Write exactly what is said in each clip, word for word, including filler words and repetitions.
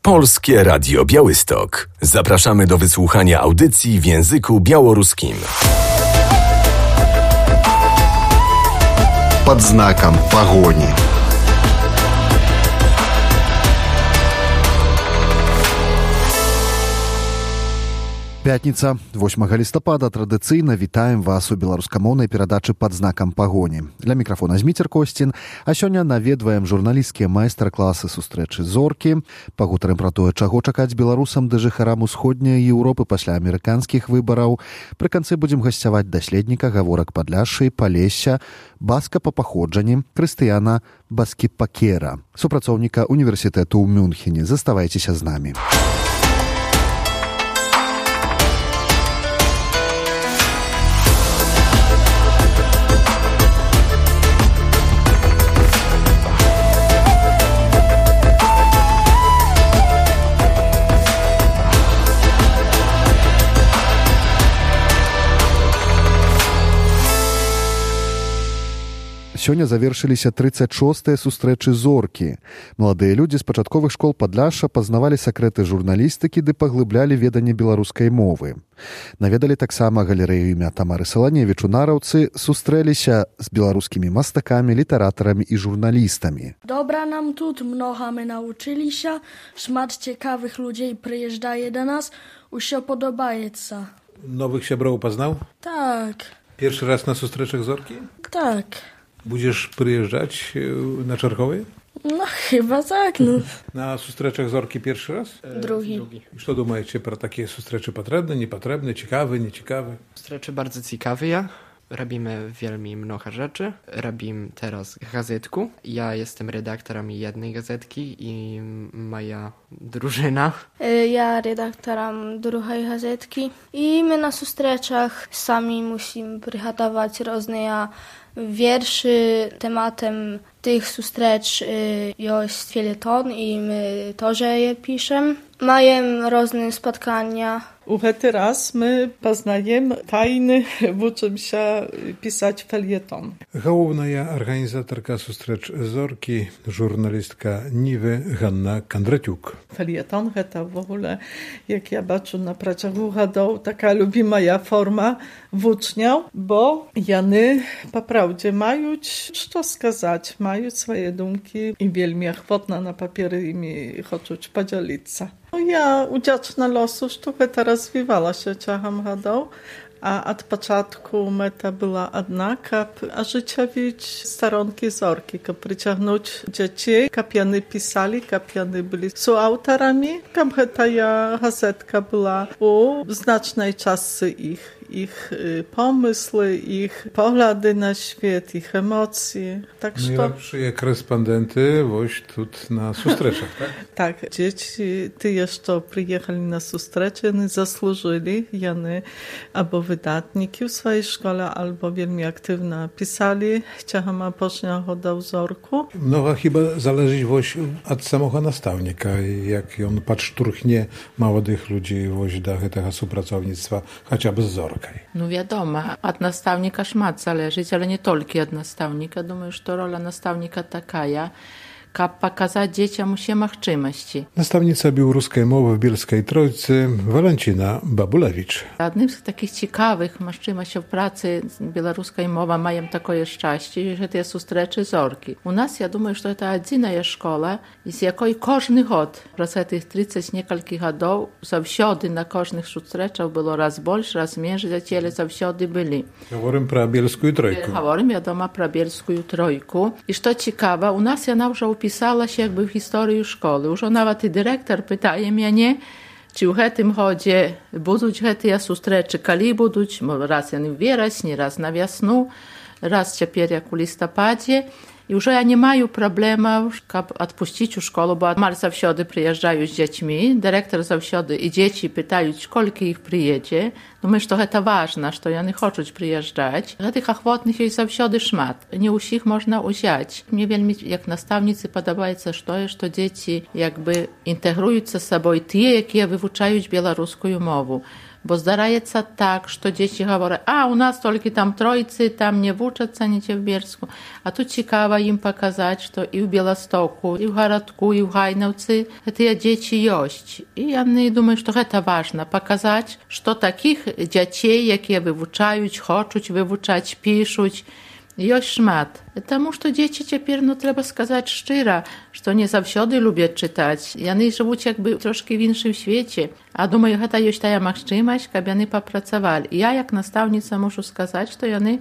Polskie Radio Białystok. Zapraszamy do wysłuchania audycji w języku białoruskim. Pod znakiem pogoni. Пятница, восьмага лістапада. Традыцыйна вітаем вас у беларускамоўнай перадачы «Пад знакам пагоні». Для мікрафона Зміцер Косцін, а сёння наведваем журналісцкія майстар-класы сустрэчы зоркі, пагутарым пра тое, чаго чакаць беларусам ды жыхарам усходняй Еўропы пасля амерыканскіх выбараў. Пры канцы будзем гасцяваць даследніка гаворак Падляшшы, Палесся, баска па паходжанні Крыстыяна Баскіпакера, супрацоўніка універсітэту ў Мюнхене. Заставайцеся з намі. Сёння завершыліся трыццаць шостыя сустрэчы зоркі. Маладыя людзі з пачатковых школ Падляшша пазнавалі сакрэты журналістыкі ды паглыблялі веданне беларускай мовы. Наведалі таксама галерэю імя Тамары Саланевіч у Нараўцы, сустрэліся з беларускімі мастакамі, літаратарамі і журналістамі. Добра нам тут, многа мы навучыліся, шмат цікавых людзей прыязджае да нас, усё падабаецца. Новых сяброў пазнаў? Так. Першы раз на сустрэчах зоркі? Так. Будзеш прыязджаць на чарговыя? No chyba tak, no. Na сустрэчах зоркі першы раз? Drugi. Што думаеце пра такія сустрэчы? Патрэбны, непатрэбны, цікавы, нецікавы? Сустрэчы bardzo ciekawe. Robimy wielmi mnoho rzeczy. Robimy teraz gazetku. Ja jestem redaktorem jednej gazetki i moja drużyna. Ja redaktorem drugiej gazetki. I my na сустрэчах sami musimy przygotować różne wierszy. Tematem tych sustrecz jest felieton i my też je piszemy. Mają różne spotkania. U гэты раз мы пазнаем тайны, вучымся пісаць фельетон. Галоўная арганізатарка сустрэч зоркі, журналістка Нівы Ганна Кандратюк. Фельетон гэта в ogóle, як я бачу на працягу гадоў, така любімая форма вучняў, бо яны папраўдзе маюць што сказаць, маюць свае думкі і вельмі ахвотна на паперы імі хочуць падзяліцца. Ja udziaczna losu, że to rozwijała się ciągiem gadał, a od początku meta była однака, a życia widzieć staronki zorki, aby przyciągnąć dzieci, aby pisali, aby byli współautorami, aby ta gazetka była u znacznej czasy ich. Ich pomysły, ich poglądy na świat, ich emocje. Tak że... Najlepsze korespondenty właśnie tu na sustreczach, tak? Tak, dzieci ty jeszcze przyjechali na sustrecze, oni zasłużyli, jany albo wydatniki w swojej szkole, albo wielmi aktywnie pisali, ciągiem apoczniacho do wzorku. Mnoga chyba zależy właśnie od samego nastawnika, jak on podszturchnie młodych ludzi właśnie do tego współpracownictwa, chociażby z zorką. Ну, вядома, ад настаўніка шмат залежыць, але не толькі ад настаўніка. Думаю, што роля настаўніка такая, каб паказаць дзецям усе магчымасці. Настаўніца беларускай мовы в Бельскай Тройцы Валанціна Бабулевіч. Адным з такіх цікавых магчымасцяў працы беларускай мовы маем такое шчасце, гэтыя сустрэчы зоркі. У нас, я думаю, што гэта адзіная школа, з якой кожны год праз гэтых трыццаць некалькі гадоў заўсёды на кожных сустрэчах было раз больш, раз менш, дзяцелі заўсёды былі. Гаворым пра Бельскую Тройку. Гаворым, вядома, пра Бельскую Тройку. І што цікава, у нас яна ўжо pisała się jakby w historii szkoły. Już nawet i dyrektor pytaje mnie, czy w tym chodzie będą te sustrecze, kiedy będą, raz w wierasni, raz na wiosnu, raz teraz jak w listopadzie. I już ja nie mają problemów, żeby odpuścić szkołę, bo mal zawsze przyjeżdżają z dziećmi, dyrektor zawsze i dzieci pytają, koliki ich przyjedzie. No myślę, że to ważne, że oni chcą przyjeżdżać. Tych ochotnych jest zawsze szmat. Nie wszystkich można wziąć. Mnie wielmi, jak nastawnicy, podoba się to, że dzieci jakby integrują ze sobą te, jakie wyuczają białoruską mowę. Bo zdarzaється так, що діти говорять, а у нас тільки там тройці, там не вчаться, не в Bielsku. А тут цікаво їм показати, що і в Білостоку, і в городку, і в Гайновці ці діти є. І вони думають, що це важливо, показати, що таких дітей, які вивчають, хочуть вивчати, пишуть, є шмат. Тому що діти тепер, ну, треба сказати щиро, що не завжди люблять читати. Вони живуть якби трошки в іншому світі. А думаю, це є та можливість, щоб вони попрацювали. І я, як наставниця, можу сказати, що вони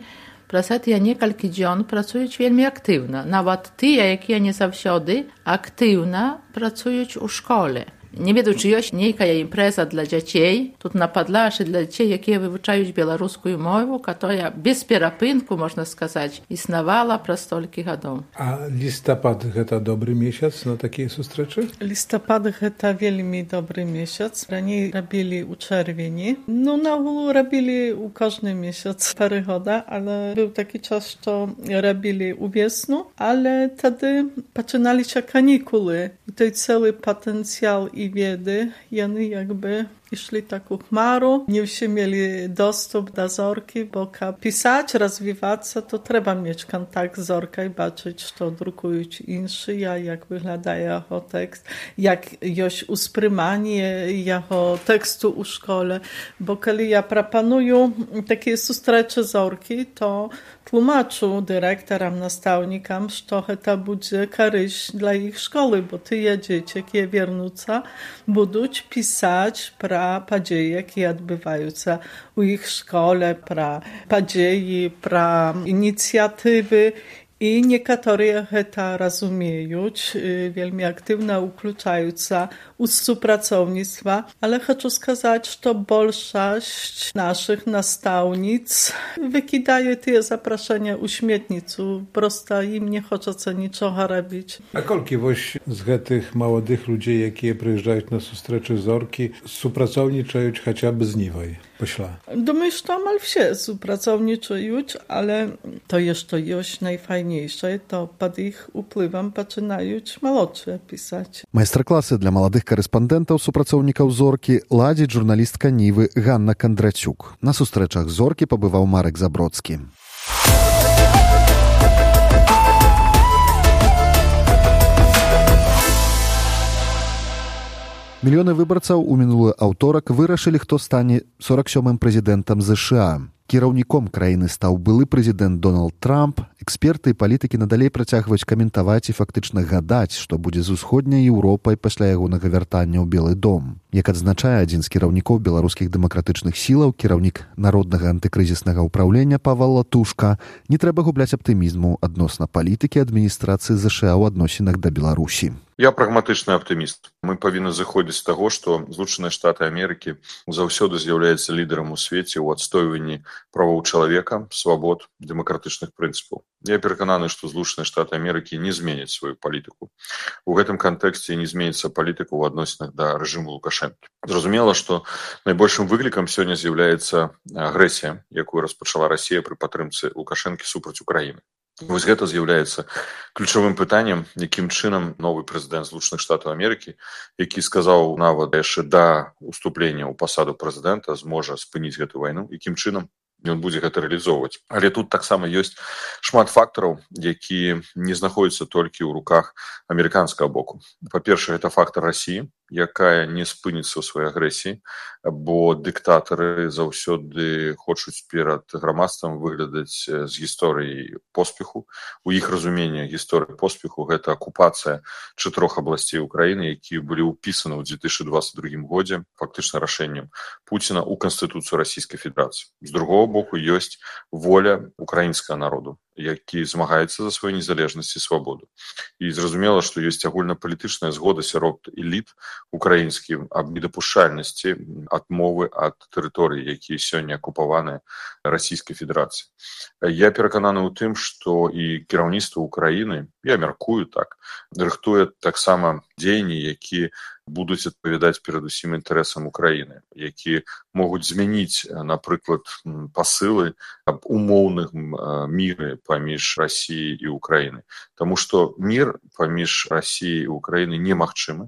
праз я некалькі дзён працуюць вельмі актыўна. Нават тыя, якія не заўсёды актыўна працуюць у школе. Не ведаю, чи ёсць нейкая імпрэза для дзяцей, тут на падлашы для дзяцей, якія вывучаюць беларускую мову, которая без перапынку, можна сказаць, існавала праз столькі гадоў. А лістапад – гэта добры месяц на такія сустрэчы? Лістапад – гэта вельмі добры месяц. Раней рабілі ў чэрвені. Ну, на агулу рабілі ў кожны месяц пары года, але быў такі час, што рабілі ў весну, але тады пачыналіся канікулы. І той цэлы патэнцыял i wiedzy, jany jakby szli taką chmaru, nie wszyscy mieli dostęp do Zorki, bo jak pisać, rozwijać się, to trzeba mieć kontakt z Zorką i baczyć, co drukują inni, jak wygląda jego tekst, jak jest uspриймanie jego tekstu u szkole, bo kiedy ja proponuję takie zustrecze Zorki, to tłumaczę dyrektorom, nastawnikom, że to będzie korzyść dla ich szkoły, bo te dzieci, jakie wiernuться, będą pisać pra падзеі, якія адбываюцца ў іх школе, пра падзеі, пра ініцыятывы. І некаторыя гэта разумеюць, вельмі актыўна ўключаюцца ў супрацоўніцтва, ale хочу сказаць, што большасць нашых настаўніц выкідае тыя запрашэння ў śmietніцу, проста ім не хочацца нічога рабіць. А колькі вось з гэтых маладых людзей, якія прыязджаюць на сустрэчы Зоркі, супрацоўнічаюць хаця б з Нівай? Думаю, że amal все współpracowniczą, ale to jeszcze jest najfajniejsze, to pod ich wpływem zaczynają młodsze pisać. Майстар-класы для маладых карэспандэнтаў супрацоўнікаў Зоркі ладзіць журналістка Нівы Ганна Кандрацюк. На сустрэчах Зоркі пабываў Марек Забродскі. Мільёны выбарцаў у мінулы аўторак вырашылі, хто стане сорок сёмым прэзідэнтам ЗША. Кіраўніком краіны стаў былы прэзідэнт Дональд Трамп. Эксперты і палітыкі надалей працягваюць каментаваць і фактычна гадаць, што будзе з усходняй Еўропай пасля ягонага вяртання ў Белы дом. Як адзначае адзін з кіраўнікоў беларускіх дэмакратычных сілаў, кіраўнік народнага антыкрызіснага ўпраўлення Павел Латушка, не трэба губляць аптымізму адносна палітыкі адміністрацыі ЗША ў адносінах да Беларусі. Я прагматычны аптыміст. Мы павінны зыходзіць з таго, што Злучаныя Штаты Амерыкі заўсёды з'яўляецца лідарам у свеце ў адстойванні правоў чалавека, свабод, дэмакратычных прынцыпаў. Я перакананы, што Злучаныя Штаты Амерыкі не зменяць сваю палітыку. У гэтым кантэксце не зменіцца палітыка ў адносінах да рэжыму Лукашэнкі. Зразумела, што найбольшым выклікам сёння з'яўляецца агрэсія, якую распачала Расія пры падтрымцы Лукашэнкі супраць Украіны. Вось гэта з'яўляецца ключавым пытаннем, якім чынам новы прэзідэнт Злучаных Штатаў Амерыкі, які сказаў нават яшчэ да уступлення ў пасаду прэзідэнта, зможа спыніць гэту вайну, якім чынам ён будзе гэта рэалізоўваць. Але тут таксама ёсць шмат фактараў, якія не знаходзяцца толькі ў руках амерыканскага боку. Па-першае, гэта фактар Расіі, якая не спыніцца ў сваёй агрэсіі, бо дыктатары заўсёды хочуць перад грамадствам выглядаць з гісторыяй поспеху. У іх разуменні гісторыі поспеху гэта акупацыя чатырох абласцей Украіны, якія былі ўпісаны ў дзве тысячы дваццаць другім годзе фактычна рашэннем Пуціна ў Канстытуцыю Расійскай Федэрацыі. З другого боку ёсць воля украінскага народу, які змагаецца за сваю незалежнасць і свабоду. І зразумела, што ёсць агульнапалітычная згода сярод эліт украінскім аб недапушчальнасці адмовы ад тэрыторый, якія сёння акупаваны Расійскай Федэрацыяй. Я перакананы ў тым, што і кіраўніцтва Украіны, я мяркую так, рыхтуе таксама дзеянні, якія будуць адпавядаць перадусім інтарэсам Украіны, якія могуць змяніць, напрыклад, пасылы аб умоўным міры паміж Расіяй і Украінай. Таму што мір паміж Расіяй і Украінай немагчымы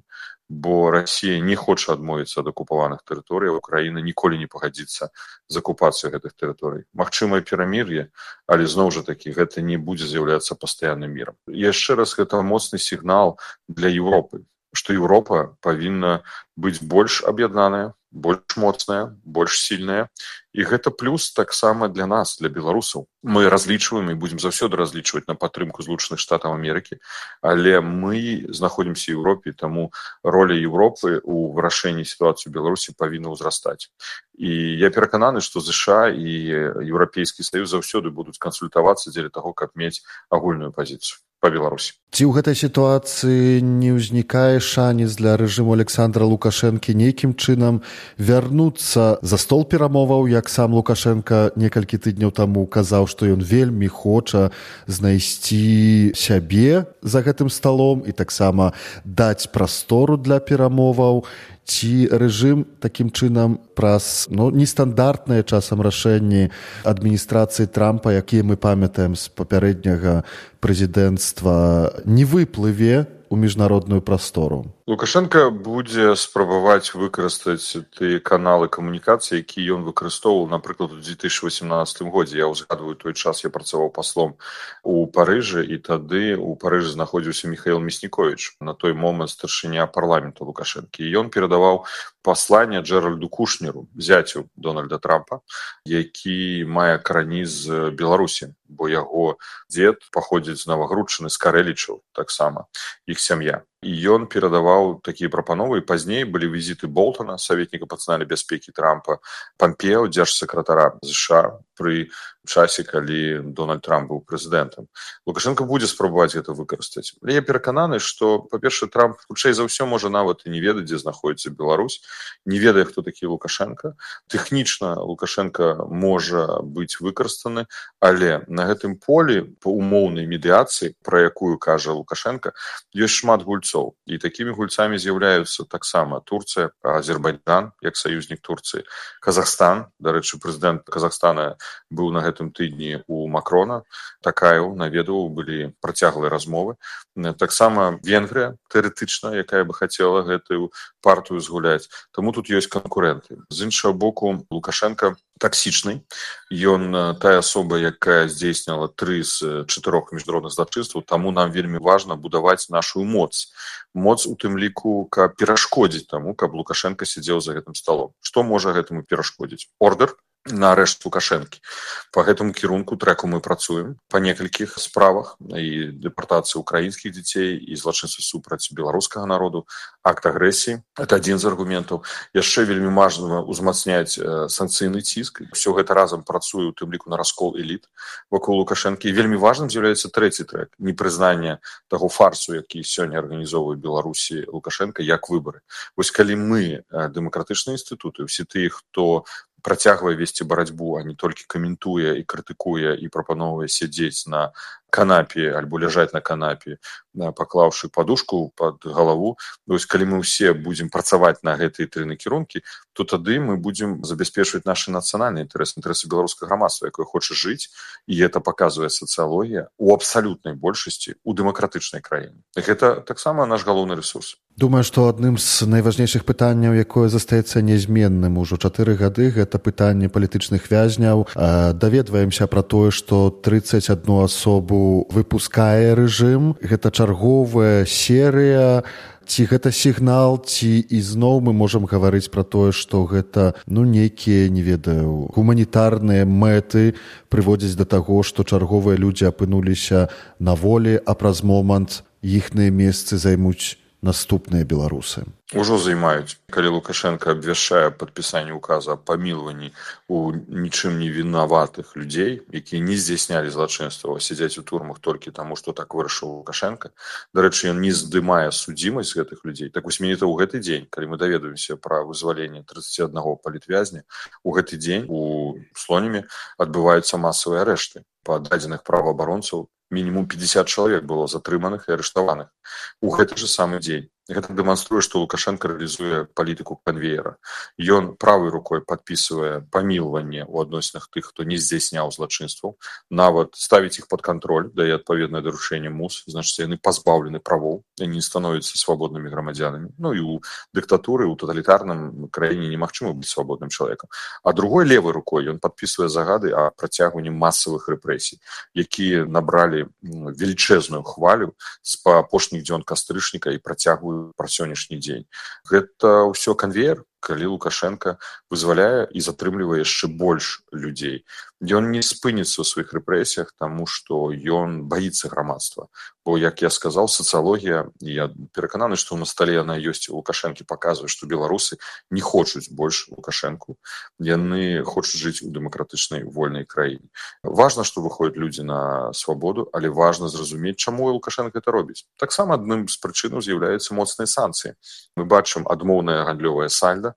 бо Расія не хоча адмовіцца ад акупаваных тэрыторый, Украіна ніколі не пагадзіцца з акупацыяй гэтых тэрыторый. Магчымае перамір'е, але зноў жа такі гэта не будзе з'яўляцца пастаянным мірам. Яшчэ раз, гэта моцны сігнал для Еўропы, што Еўропа павінна быць больш аб'яднаная, больш моцная, больш сильная. І гэта плюс таксама для нас, для беларусаў. Мы разлічваем і будзем заўсёды разлічваць на падтрымку Злучаных Штатаў Амерыкі, але мы знаходзімся ў Еўропе, таму роля Еўропы ў вырашэнні сітуацыі ў Беларусі павінна ўзрастаць. І я перакананы, што ЗША і Еўрапейскі Саюз заўсёды будуць кансультавацца дзеля таго, каб мець агульную пазіцыю па Беларусі. Ці ў гэтай сітуацыі не ўзнікае шанец для рэжыму Александра Лукашэнкі нейкім чынам вярнуцца за стол перамоваў, як сам Лукашенко некалькі тыдняў таму казаў, што ён вельмі хоча знайсці сябе за гэтым сталом і таксама даць прастору для перамоваў? Ці рэжым такім чынам праз ну, нестандартныя часам рашэнні адміністрацыі Трампа, якія мы памятаем з папярэдняга прэзідэнцтва, не выплыве у міжнародную прастору? Лукашенко будзе спрабаваць выкарыстаць тыя каналы камунікацыі, якія ён выкарыстоўваў, напрыклад, у две тысячи восемнадцатым годзе. Я ўзгадваю той час, я працаваў паслом у Парыжы, і тады у Парыжы знаходзіўся Міхаіл Мясніковіч, на той момант старшыня парламенту Лукашэнкі. І ён перадаваў пасланне Джеральду Кушнеру, зяцю Дональда Трампа, які мае карані з Беларусі, бо яго дзед паходзіць з Навагрудчыны, з Карэлічаў таксама, іх сям'я. І ён перадаваў такія прапановы, і пазней былі візіты Болтона, саветніка па нацыянальнай бяспекі Трампа, Пампео, дзяржсакратара ЗША, пры часе, калі Дональд Трамп быў прэзідэнтам. Лукашенко будзе спрабаваць гэта выкарыстаць. Але я перакананы, што, па-першае, Трамп хутчэй за ўсё можа нават і не ведаць, дзе знаходзіцца Беларусь, не ведае, хто такі Лукашенко. Тэхнічна Лукашенко можа быць выкарыстаны, але на гэтым полі па умоўнай медыяцыі, пра якую кажа Лукашенко, ёсць шмат гульцоў. І такімі гульцамі з'яўляюцца таксама Турцыя, Азербайджан, як саюзнік Турцыі, Казахстан. Дарэчы, прэзідэнт Казахстана быў на гэтым тыдні у Макрона, Такаеў наведваў, былі працяглыя размовы. Таксама Венгрыя, тэарэтычна, якая бы хацела гэтую партыю згуляць. Таму тут ёсць канкурэнты. З іншага боку, Лукашенко таксічны. Ён тая асоба, якая здзейсніла тры з чатырох міжнародных злачынстваў, таму нам вельмі важна будаваць нашу моц. Моц у тым ліку, каб перашкодзіць таму, каб Лукашенко сидзеў за гэтым сталом. Што можа гэтаму перашкодзіць? Ордер на арэшт Лукашэнкі. Па гэтаму кірунку трэку мы працуем па некалькіх справах, і дэпартацыі украінскіх дзяцей, і злачынства супраць беларускага народу, акт агрэсіі. Это адзін з аргументаў. Яшчэ вельмі важна ўзмацняць санкцыйны ціск. Усё гэта разам працуе, у тым ліку на раскол эліт вакол Лукашэнкі. І вельмі важным з'яўляецца трэці трэк, непрызнанне таго фарсу, які сёння арганізоўвае Беларусі Лукашенко, як выбары. Вось калі мы, дэмакратычныя інстытуты, усе тыя, хто працягвае весці барацьбу, а не толькі каментуе і крытыкуе і прапановвае сядзець на канапе альбо ляжаць на канапе, паклаўшы падушку пад галаву. Вось калі мы ўсе будзем працаваць на гэтыя тры накірункі, то тады мы будзем забяспечваць нашы нацыянальныя інтарэсы, інтарэсы беларускага грамадства, якое хоча жыць, і гэта паказвае сацыялогія у абсалютнай большасці у дэмакратычнай краіне. Гэта таксама наш галоўны рэсурс. Думаю, што адным з найважнейшых пытанняў, якое застаецца нязменным ужо чатыры гады, гэта пытанне палітычных вязняў. Даведваемся пра тое, што трыццаць адну асобу выпускае рэжым. Гэта чарговая серыя. Ці гэта сігнал, ці ізноў мы можам гаварыць пра тое, што гэта ну нейкія, не ведаю, гуманітарныя мэты прыводзяць да таго, што чарговыя людзі апынуліся на волі, а праз момант іхныя месцы займуць наступныя беларусы. Ужо займаюць. Калі Лукашенко абвяшчае падпісанне указа аб памілаванні у нічым не вінаватых людзей, якія не здзяйснялі злачынства, сядзяць у турмах толькі таму, што так вырашыў Лукашенко. Дарэчы, ён не здымае судзімасць гэтых людзей. Так вось менавіта ў гэты дзень, калі мы даведуемся пра вызваленне трыццаці аднаго палітвязня, у гэты дзень у Слоніме адбываюцца масавыя арэшты. Па дадзеных праваабаронцаў мінімум пятьдесят чалавек было затрыманых і арыштаваных. У гэты же самы дзень Гэта дэманструе, што Лукашенко рэалізуе палітыку канвеера. Ён правай рукой падпісвае памілаванне ў адносінах тых, хто не здзяйсняў злачынстваў, нават ставіць іх пад кантроль, дае адпаведнае даручэнне МУС, значыць, яны пазбаўлены правоў, яны не становяцца свабоднымі грамадзянамі. Ну і ў дыктатуры, у таталітарным краіне немагчыма быць свабодным чалавекам. А другой левай рукой ён падпісвае загады о працягванні масавых рэпрэсій, якія набралі велічэзную хвалю з апошніх дзён кастрычніка і працягваюць пра сённяшні дзень. Гэта ўсё канвеер, калі Лукашенко вызваляе і затрымлівае яшчэ больш людзей. Ён не спыніцца ў сваіх рэпрэсіях, таму што ён баіцца грамадства. Бо, як я сказаў, сацыялогія, я перакананы, што на стале яна ёсць у Лукашэнкі, паказвае, што беларусы не хочуць больш Лукашэнку. Яны хочуць жыць у дэмакратычнай вольнай краіне. Важна, што выходзяць людзі на свабоду, але важна зразумець, чаму Лукашенко гэта робіць. Таксама адным з прычынаў з'яўляюцца моцныя санкцыі. Мы бачым адмоўнае гандлёвае сальда.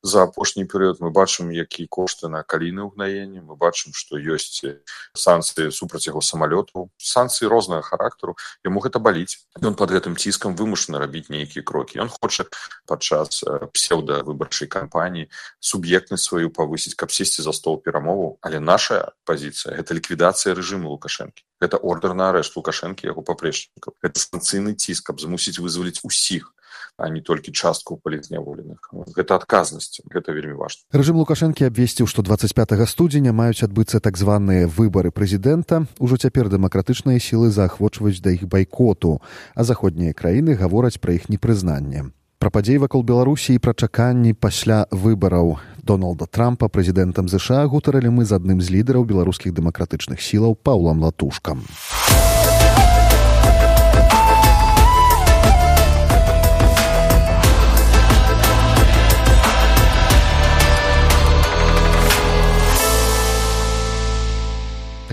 За апошні перыяд мы бачым, якія кошты на калійнае ўгнаенне, мы бачым, што ёсць санкцыі супраць яго самалётаў, санкцыі рознага характару, яму гэта баліць. Ён пад гэтым ціскам вымушаны рабіць нейкія крокі. Ён хоча падчас псеўдавыбарчай кампаніі суб'ектнасць сваю павысіць, каб сесці за стол перамоваў, але наша пазіцыя – гэта ліквідацыя рэжыму Лукашэнкі. Гэта ордэр на арэшт Лукашэнкі і яго паплечнікаў. Гэта санкцыйны ціск, каб змусіць вызваліць усіх, а не толькі частку палітзняволеных. Гэта адказнасць, гэта вельмі важна. Рэжым Лукашэнкі абвесціў, што дваццаць пятага студзеня маюць адбыцца так званыя выбары прэзідэнта. Ужо цяпер дэмакратычныя сілы заахвочваюць да іх байкоту, а заходнія краіны гавораць пра іх непрызнанне. Пра падзеі вакол Беларусі і пра чаканні пасля выбараў Дональда Трампа прэзідэнтам ЗША гутарылі мы з адным з лідараў беларускіх дэмакратычных сілаў Паўлам Латушкам.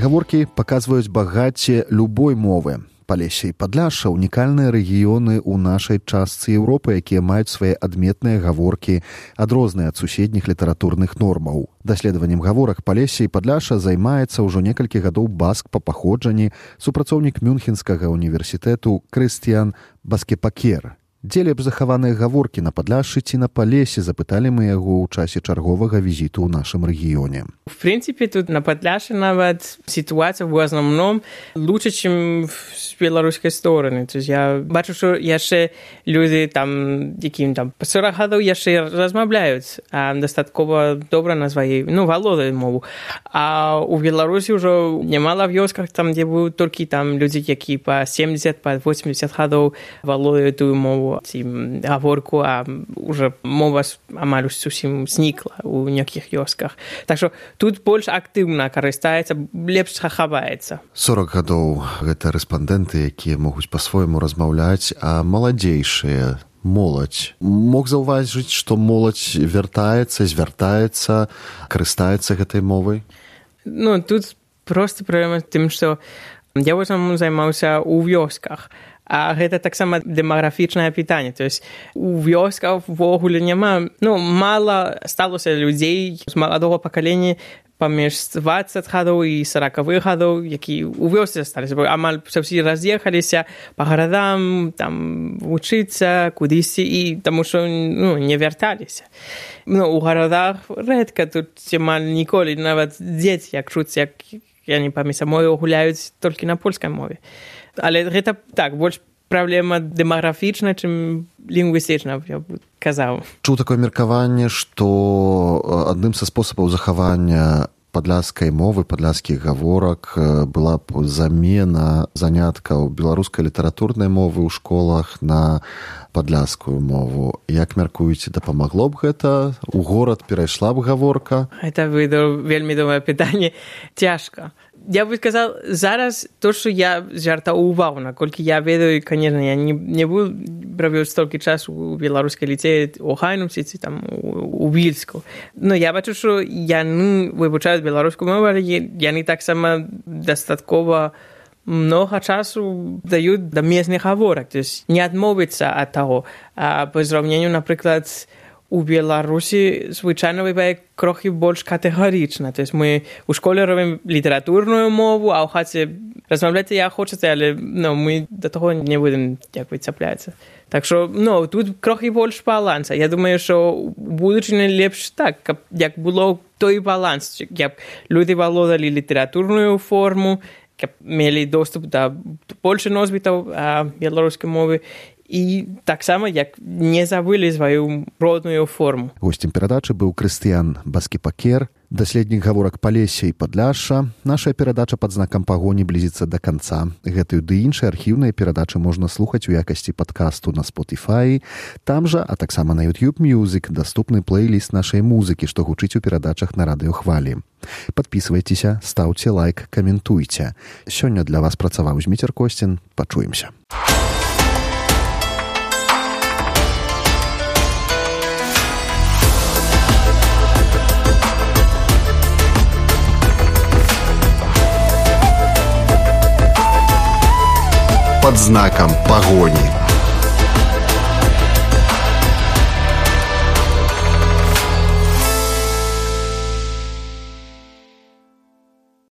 Гаворкі паказваюць багацце любой мовы. Палессе і Падляшша – унікальныя рэгіёны ў нашай частцы Еўропы, якія маюць свае адметныя гаворкі, адрозныя ад суседніх літаратурных нормаў. Даследаваннем гаворак Палессе і Падляшша займаецца ўжо некалькі гадоў баск па паходжанні, супрацоўнік Мюнхенскага універсітэту Крыстіян Баскепакер. Дзе лепш захаваныя гаворкі на Падляшшы ці на Палессе, запыталі мы яго ў часе чарговага візіту ў нашым рэгіёне. В принципе, тут на Подляше нават ситуация в основном лучше, чем с белорусской стороны. То есть я бачу, что яшчэ люди там, яким там по сорок гадоў яшчэ размаўляюць а дастаткова добра на сваёй, ну, валодаюць мову. А у Беларусі ўжо немало вёсках, там, где будут только там люди, якія по семьдесят, по восемьдесят гадоў валодаюць тую мову, ці гаворку, а уже мова амаль зусім знікла у некіх вёсках. Так што тут больш актыўна карыстаецца, лепш захаваецца. сорок гадоў гэта рэспандэнты, якія могуць па-свойму размаўляць, а маладзейшыя, моладзь. Мог заўважыць, што моладзь вяртаецца, звяртаецца, карыстаецца гэтай мовай? Ну, тут проста праблема тым, што я ў основным займаўся ў вёсках. А гэта таксама дэмаграфічнае пытанне. То есть у вёсках ввогуле няма, ну, мала сталося людзей з маладога пакалення паміж дваццаць гадоў і сорокавых гадоў, які у вёсцы засталіся. Амаль ўсе раз'ехаліся па гарадам, там вучыцца, кудысьці, і таму што, ну, не вярталіся. Ну, у гарадах рэдка, тут амаль ніколі, нават дзеці, як чуць, як яны паміж сабою гуляюць толькі на польскай мове. Але гэта так, больш праблема дэмаграфічна, чым лінгвістычна, я б казаў. Чуў такое меркаванне, што адным са спосабаў захавання падляшскай мовы, падляшскіх гаворак была б замена заняткаў беларускай літаратурнай мовы ў школах на падляшскую мову. Як мяркуеце, дапамагло б гэта? У горад перайшла б гаворка? Гэта вельмі добрае пытанне. Цяжка. Я бы сказал, зараз то, что я звяртаў увагу, наколькі я ведаю, конечно, я не, не буду правіць столькі часу у беларускай ліцеі, у Хайнумці, ці там у, у Вільску. Но я бачу, што яны вывучаюць беларускую мову, але яны таксама дастаткова много часу даюць да местных гаворак, то есть не адмовіцца ад таго. А по зраўненню, напрыклад, у Беларусі звычайна бывае крохі больш катэгарычна. То есть мы у школе робім літаратурную мову, а ў хаце размаўляць я хочацца, але ну, мы да таго не будем як цапляцца. Так што ну, тут крохі больш баланса. Я думаю, што у будучыні лепш так, каб як было той баланс, каб люди валодалі літаратурную форму, каб мелі доступ да больше носьбітаў беларускай мовы, і таксама як не забылі сваю родную форму. Гостем перадачы быў Крыстыян Баскіпакер, даследнік гаворак Палесся і Падляшша. Наша перадача пад знакам пагоні блізіцца да канца. Гэтую ды іншыя архіўныя перадачы можна слухаць у якасці падкасту на Spotify. Там жа, а таксама на YouTube Music даступны плейліст нашай музыкі, што гучыць у перадачах на радыёхвалі. Падпісвайцеся, стаўце лайк, каментуйце. Сёння для вас працаваў Зміцер Косцін. Пачуемся. Под знаком погони.